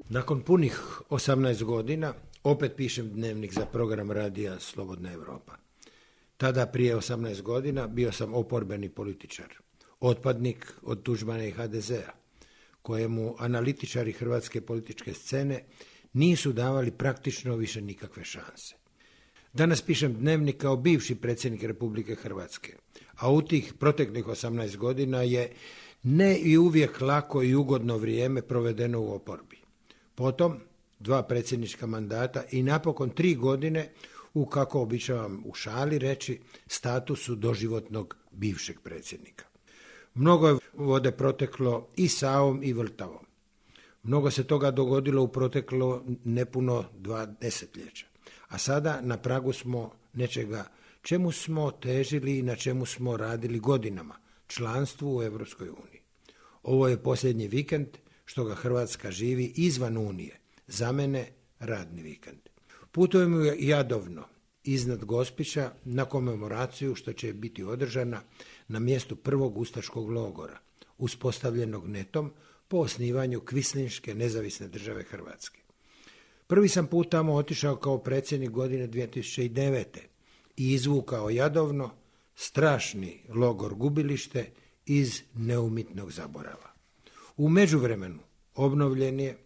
Nakon punih 18 godina opet pišem dnevnik za program radija Slobodna Europa. Tada prije 18 godina bio sam oporbeni političar, otpadnik od Tuđmana i HDZ-a, kojemu analitičari hrvatske političke scene nisu davali praktično više nikakve šanse. Danas pišem dnevnik kao bivši predsjednik Republike Hrvatske, a u tih proteklih 18 godina je ne i uvijek lako i ugodno vrijeme provedeno u oporbi. Potom 2 predsjednička mandata i napokon 3 godine u, kako običavam u šali reći, statusu doživotnog bivšeg predsjednika. Mnogo je vode proteklo i Savom i Vrtavom. Mnogo se toga dogodilo u proteklo nepuno 2 desetljeća. A sada na pragu smo nečega čemu smo težili i na čemu smo radili godinama, članstvu u Europskoj uniji. Ovo je posljednji vikend što ga Hrvatska živi izvan Unije. Za mene radni vikend. Putujem jadovno iznad Gospića na komemoraciju što će biti održana na mjestu prvog ustaškog logora, uspostavljenog netom po osnivanju Kvislinške nezavisne države Hrvatske. Prvi sam put tamo otišao kao predsjednik godine 2009. i izvukao jadovno strašni logor gubilište iz neumitnog zaborava. U međuvremenu obnovljen je,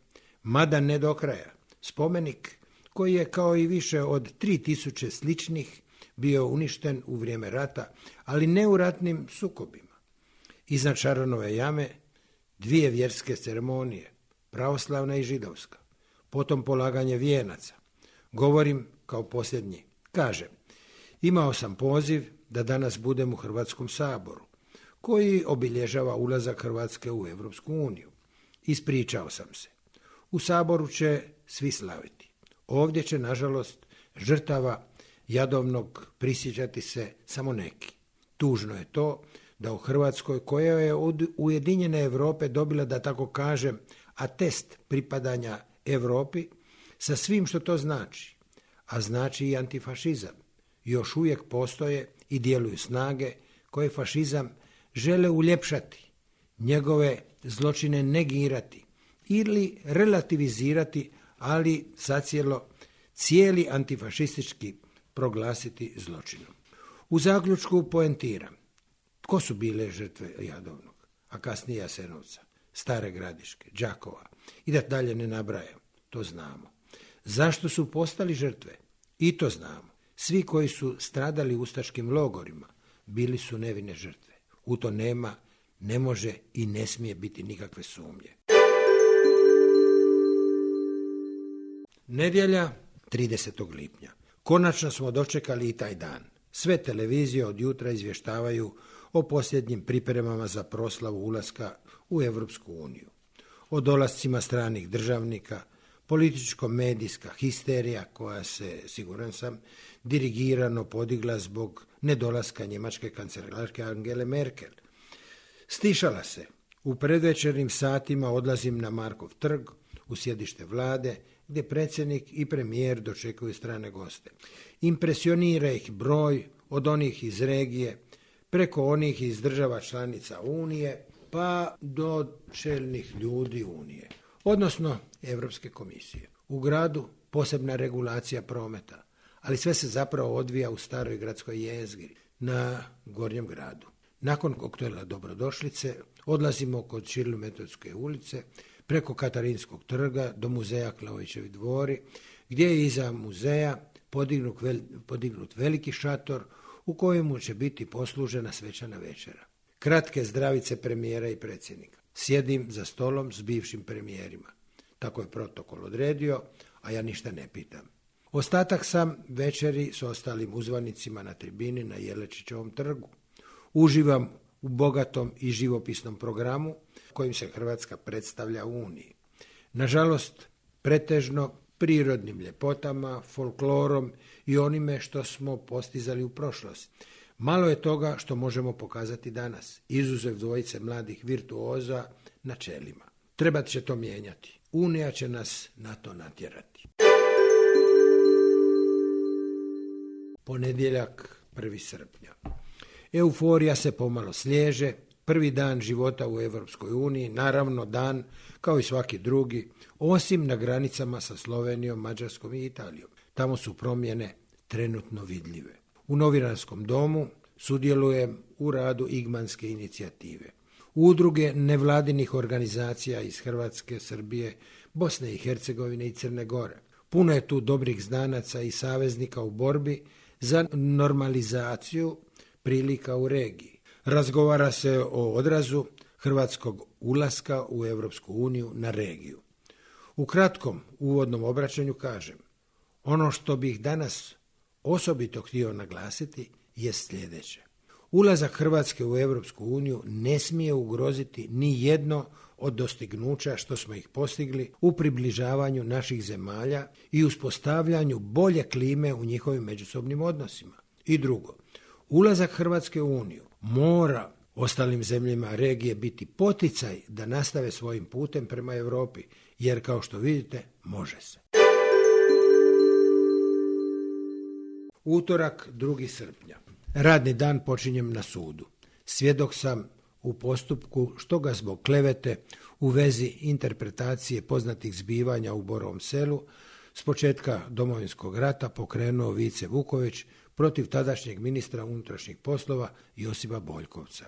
mada ne do kraja, spomenik koji je kao i više od 3000 sličnih bio uništen u vrijeme rata, ali ne u ratnim sukobima. Iznad Šaronove jame 2 vjerske ceremonije, pravoslavna i židovska, potom polaganje vijenaca. Govorim kao posljednji. Kažem, imao sam poziv da danas budem u Hrvatskom saboru, koji obilježava ulazak Hrvatske u Europsku uniju. Ispričao sam se. U saboru će svi slaviti. Ovdje će, nažalost, žrtava jadovnog prisjećati se samo neki. Tužno je to da u Hrvatskoj, koja je od Ujedinjene Europe dobila, da tako kažem, atest pripadanja Europi, sa svim što to znači, a znači i antifašizam, još uvijek postoje i djeluju snage koje fašizam žele uljepšati, njegove zločine negirati ili relativizirati, ali zacijelo cijeli antifašistički proglasiti zločinom. U zaključku poentiram. Tko su bile žrtve Jadovnog, a kasnije Jasenovca, Stare Gradiške, Đakova i da dalje ne nabrajam, to znamo. Zašto su postali žrtve? I to znamo. Svi koji su stradali u ustaškim logorima bili su nevine žrtve. U to nema, ne može i ne smije biti nikakve sumnje. Nedjelja, 30. lipnja. Konačno smo dočekali i taj dan. Sve televizije od jutra izvještavaju o posljednjim pripremama za proslavu ulaska u Europsku uniju. O dolascima stranih državnika, političko-medijska histerija koja se, siguran sam, dirigirano podigla zbog nedolaska njemačke kancelarke Angele Merkel. Stišala se. U predvečernim satima odlazim na Markov trg, u sjedište vlade, gdje predsjednik i premijer dočekuju strane goste. Impresionira ih broj od onih iz regije, preko onih iz država članica Unije, pa do čelnih ljudi Unije, odnosno Europske komisije. U gradu posebna regulacija prometa, ali sve se zapravo odvija u staroj gradskoj jezgri, na Gornjem gradu. Nakon koktela dobrodošlice odlazimo kod Ćirilo-Metodske ulice, preko Katarinskog trga do muzeja Klaovićevi dvori, gdje je iza muzeja podignut veliki šator u kojemu će biti poslužena svečana večera. Kratke zdravice premijera i predsjednika. Sjedim za stolom s bivšim premijerima. Tako je protokol odredio, a ja ništa ne pitam. Ostatak sam večeri s ostalim uzvanicima na tribini na Jelačićevom trgu. Uživam u bogatom i živopisnom programu kojim se Hrvatska predstavlja u Uniji. Nažalost, pretežno prirodnim ljepotama, folklorom i onime što smo postizali u prošlosti. Malo je toga što možemo pokazati danas, izuzev dvojice mladih virtuoza na čelima. Trebat će to mijenjati. Unija će nas na to natjerati. Ponedjeljak, 1. srpnja. Euforija se pomalo sliježe, prvi dan života u Europskoj uniji, naravno dan kao i svaki drugi, osim na granicama sa Slovenijom, Mađarskom i Italijom. Tamo su promjene trenutno vidljive. U novinarskom domu sudjelujem u radu Igmanske inicijative. Udruge nevladinih organizacija iz Hrvatske, Srbije, Bosne i Hercegovine i Crne Gore. Puno je tu dobrih znanaca i saveznika u borbi za normalizaciju prilika u regiji. Razgovara se o odrazu hrvatskog ulaska u Europsku uniju na regiju. U kratkom uvodnom obraćanju kažem, ono što bih danas osobito htio naglasiti je sljedeće. Ulazak Hrvatske u Europsku uniju ne smije ugroziti ni jedno od dostignuća što smo ih postigli u približavanju naših zemalja i uspostavljanju bolje klime u njihovim međusobnim odnosima. I drugo, ulazak Hrvatske u uniju mora ostalim zemljama regije biti poticaj da nastave svojim putem prema Europi, jer kao što vidite, može se. Utorak, 2. srpnja. Radni dan počinjem na sudu. Svjedok sam u postupku što ga zbog klevete u vezi interpretacije poznatih zbivanja u Borovom Selu s početka Domovinskog rata pokrenuo Vice Vuković protiv tadašnjeg ministra unutrašnjih poslova Josipa Boljkovca.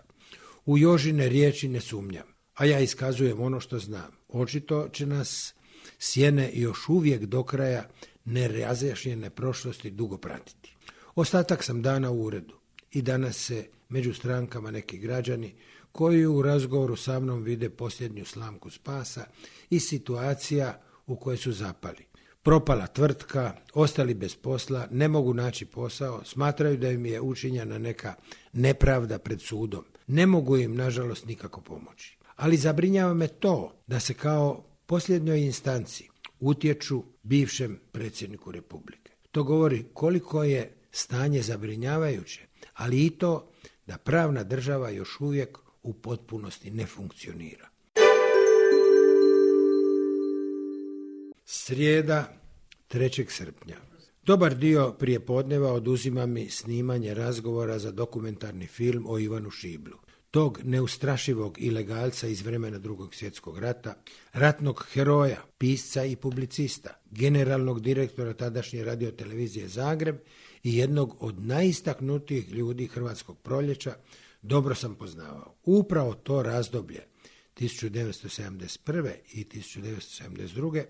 U Jožine riječi ne sumnjam, a ja iskazujem ono što znam. Očito će nas sjene još uvijek do kraja nerazjašnjene prošlosti dugo pratiti. Ostatak sam dana u uredu i danas se među strankama neki građani koji u razgovoru sa mnom vide posljednju slamku spasa i situacija u kojoj su zapali. Propala tvrtka, ostali bez posla, ne mogu naći posao, smatraju da im je učinjena neka nepravda pred sudom. Ne mogu im, nažalost, nikako pomoći. Ali zabrinjava me to da se kao posljednjoj instanci utječu bivšem predsjedniku Republike. To govori koliko je stanje zabrinjavajuće, ali i to da pravna država još uvijek u potpunosti ne funkcionira. Srijeda, 3. srpnja. Dobar dio prijepodneva oduzima mi snimanje razgovora za dokumentarni film o Ivanu Šiblu, tog neustrašivog ilegalca iz vremena Drugog svjetskog rata, ratnog heroja, pisca i publicista, generalnog direktora tadašnje radiotelevizije Zagreb i jednog od najistaknutijih ljudi Hrvatskog proljeća, dobro sam poznavao. Upravo to razdoblje, 1971. i 1972.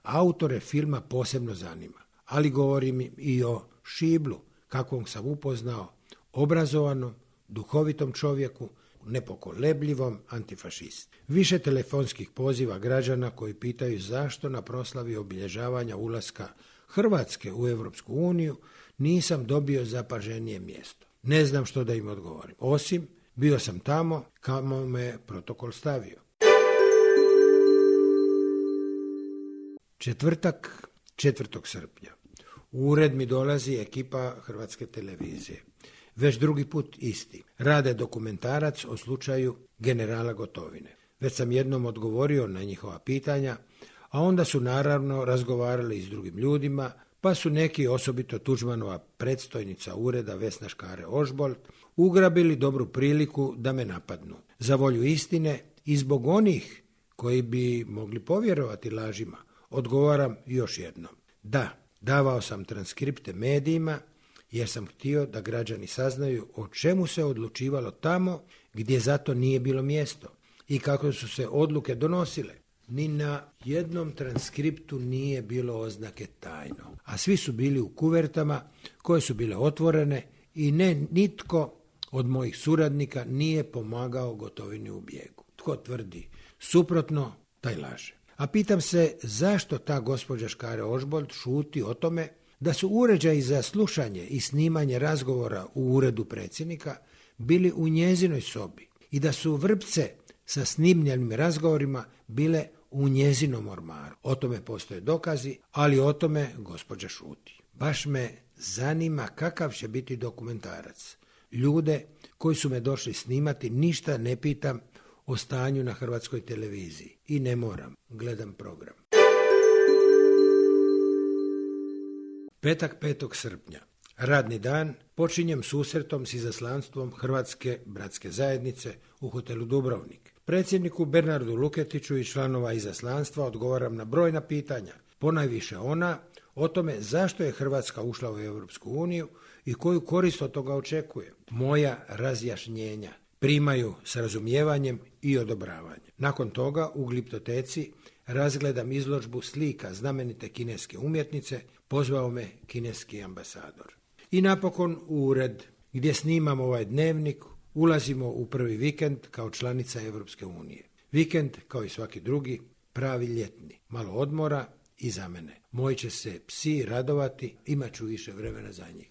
autore filma posebno zanima, ali govorim i o Šiblu, kakvog sam upoznao, obrazovanom, duhovitom čovjeku, nepokolebljivom antifašisti. Više telefonskih poziva građana koji pitaju zašto na proslavi obilježavanja ulaska Hrvatske u Europsku uniju nisam dobio zapaženije mjesto. Ne znam što da im odgovorim, osim bio sam tamo kamo me protokol stavio. Četvrtak, 4. srpnja. U ured mi dolazi ekipa Hrvatske televizije. Već drugi put isti. Rade dokumentarac o slučaju generala Gotovine. Već sam jednom odgovorio na njihova pitanja, a onda su naravno razgovarali i s drugim ljudima, pa su neki, osobito Tuđmanova predstojnica ureda Vesna Škare-Ožbolt, ugrabili dobru priliku da me napadnu. Za volju istine i zbog onih koji bi mogli povjerovati lažima, odgovaram još jednom. Da, davao sam transkripte medijima jer sam htio da građani saznaju o čemu se odlučivalo tamo gdje zato nije bilo mjesto i kako su se odluke donosile. Ni na jednom transkriptu nije bilo oznake tajno, a svi su bili u kuvertama koje su bile otvorene i nitko od mojih suradnika nije pomagao Gotovini u bijegu. Tko tvrdi suprotno, taj laže. A pitam se zašto ta gospođa Škare-Ožbolt šuti o tome da su uređaji za slušanje i snimanje razgovora u uredu predsjednika bili u njezinoj sobi i da su vrpce sa snimljenim razgovorima bile u njezinom ormaru. O tome postoje dokazi, ali o tome gospođa šuti. Baš me zanima kakav će biti dokumentarac. Ljude koji su me došli snimati ništa ne pitam o stanju na Hrvatskoj televiziji i ne moram, gledam program. Petak, 5. srpnja. Radni dan počinjem susretom s izaslanstvom Hrvatske bratske zajednice u hotelu Dubrovnik. Predsjedniku Bernardu Luketiću i članova izaslanstva odgovaram na brojna pitanja, ponajviše ona o tome zašto je Hrvatska ušla u Europsku uniju i koju korist od toga očekuje. Moja razjašnjenja primaju s razumijevanjem i odobravanjem. Nakon toga u Gliptoteci razgledam izložbu slika znamenite kineske umjetnice, pozvao me kineski ambasador. I napokon u ured gdje snimam ovaj dnevnik ulazimo u prvi vikend kao članica Europske unije. Vikend, kao i svaki drugi, pravi ljetni, malo odmora i za mene. Moji će se psi radovati, imat ću više vremena za njih.